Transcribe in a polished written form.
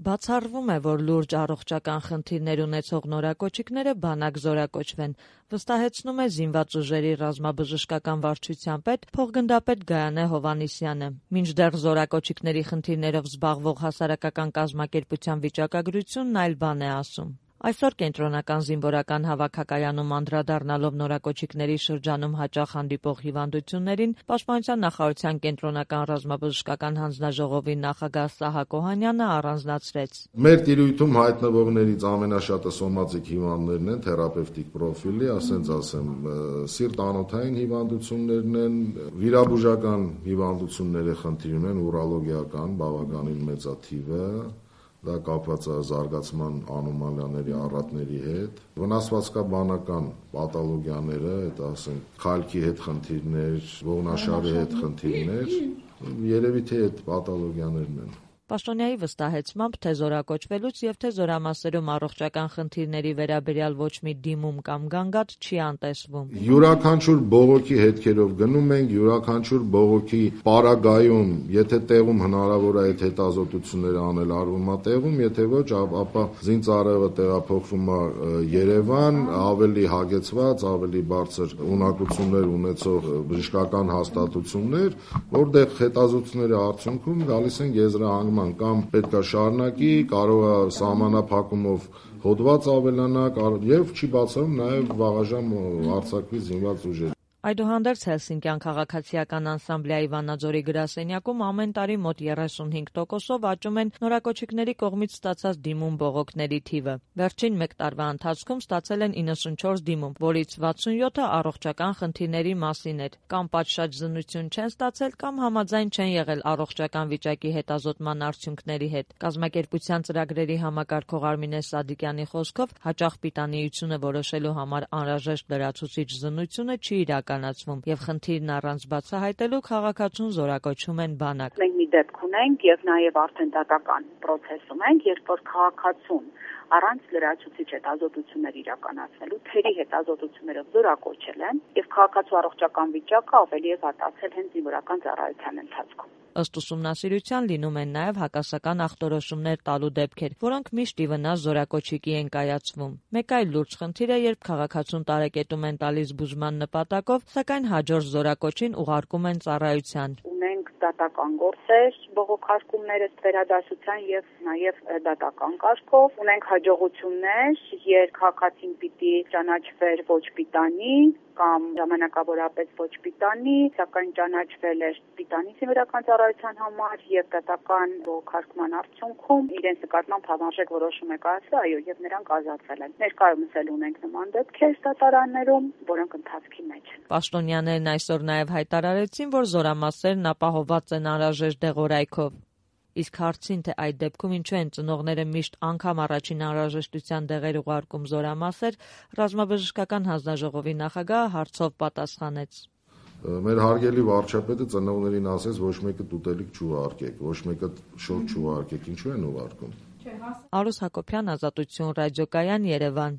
Բացառվում է, որ լուրջ առողջական խնդիրներ ունեցող նորակոչիկները բանակ զորակոչվեն, վստահեցնում է Զինված ուժերի ռազմաբժշկական վարչության պետ փոխգնդապետ Գայանե Հովհաննիսյանը։ Մինչդեռ զորակոչիկների խնդիրներով զբաղվող հասարակական կազմակերպության վիճակագրությունն այլ բան է ասում։ Այսօր կենտրոնական զինվորական հավաքակայանում անդրադառնալով նորակոչիկների շրջանում հաճախ հանդիպող հիվանդություններին, Պաշտպանության նախարարության կենտրոնական ռազմաբժշկական հանձնաժողովի նախագահ Սահակ Օհանյանը առանձնացրեց. Մեր տիրույթում հայտնվողներից ամենաշատը սոմատիկ հիվանդներն են, թերապևտիկ պրոֆիլի, սիրտ-անոթային հիվանդություններն են, վիրաբուժական հիվանդությունների խնդիր ունեն, ուրոլոգիական բավականին մեծաթիվ է։ Դա կապված է զարգացման անոմալիաների առատների հետ, վնասվածքաբանական պաթոլոգիաները, խալքի հետ խնդիրներ, ողնաշարի հետ խնդիրներ, երևի թե այդ պաթոլոգիաներն են։ Պաշտոնյայի վստահեցմամբ, թե զորակոչվելուց եւ թե զորամասերում առողջական խնդիրների վերաբերյալ ոչ մի դիմում կամ գանգատ չի անտեսվում։ Յուրաքանչյուր բողոքի հետքերով գնում ենք, յուրաքանչյուր բողոքի պարագայում, եթե տեղում հնարավոր է այդ հետազոտությունները անել, արվում է տեղում, եթե ոչ, ապա զինծառայողը տեղափոխվում է Երևան, ավելի հագեցված, ավելի բարձր ունակություններ ունեցող բժշկական հաստատություններ, որտեղ հետազոտությունների արդյունքում գալիս են եզրահանգման կամ պետք է շարունակի, կարող է սահմանափակումով հոդված ավելանա եւ չի բացառում նաեւ վաղաժամ արձակվի զինված ուժեր։ Այդուհանդերձ Հելսինկյան քաղաքացիական անսամբլեայի Վանաձորի գրասենյակում ամեն տարի մոտ 35%-ով աճում են նորակոչիկների կողմից ստացած դիմում բողոքների թիվը։ Վերջին մեկ տարվա ընթացքում ստացել են 94 դիմում, որից 67-ը առողջական խնդիրների մասին էր, կամ պատշաճ զննություն չեն ստացել, կամ համաձայն չեն եղել առողջական վիճակի հետազոտման արդյունքների հետ։ Կազմակերպության ծրագրերի համակարգող Արմինե Սադիկյանի խոսքով, հաճախ պիտանիությունը որոշելու համար անհրաժեշտ լրացուցիչ զննությունը չի եւ խնդիրն առանց բացահայտելու քաղաքացուն զորակոչում են բանակ։ Մենք մի դեպք ունենք եւ նաեւ արդեն դատական process-ում ենք, երբ որ քաղաքացուն առանց լրացուցիչ հետազոտություններ իրականացնելու թերի հետազոտություններով զորակոչել են եւ քաղաքացու առողջական վիճակը ավելի է վատացել հենց զինվորական ծառայության ընթացքում։ Ըստ ուսումնասիրության լինում են նաև հակասական ախտորոշումներ տալու դեպքեր, որոնք միշտ ի վնաս զորակոչիկի են կայացվում։ Մեկ այլ լուրջ խնդիր է, երբ քաղաքացուն տարեկետում են տալիս բուժման նպատակով, սակայն հաջորդ զորակոչին ուղարկում են ծառայության։ Ունենք դատական գործեր, բողոքարկումներ ըստ վերադասության եւ նաեւ դատական կարգով։ Ունենք հաջողություններ, երբ քաղաքացին պիտի ճանաչվեր ոչ պիտանի կամ ժամանակավորապես ոչ պիտանի, սակայն ճանաչվել էր պիտանի զինվորական ծառայության համար եւ դատական բողոքարկման արդյունքում իրենց նկատմամբ համարժեք որոշում է կայացվել, այո, եւ նրանք ազատվել են։ Ներկայումս էլ ունենք նման դեպքեր դատարաններում, որոնք ընթացքի մեջ են։ Պաշտոնյաներն այսօր նաեւ հայտարարեցին, որ զորամասերն ապահովված են անհրաժեշտ դեղորայքով։ Իսկ հարցին, թե այդ դեպքում ինչու են ծնողները միշտ անգամ առաջին անհրաժեշտության դեղեր ուղարկում զորամասեր, ռազմաբժշկական հանձնաժողովի նախագահը հարցով պատասխանեց. Մեր հարգելի վարչապետը ծնողներին ասեց, ոչ մեկը տուտելիք չուղարկեք, ոչ մեկը շորթ չուղարկեք, ինչու են ուղարկում։ Արուս Հակոբյան, Ազատություն ռադիոկայան, Երևան։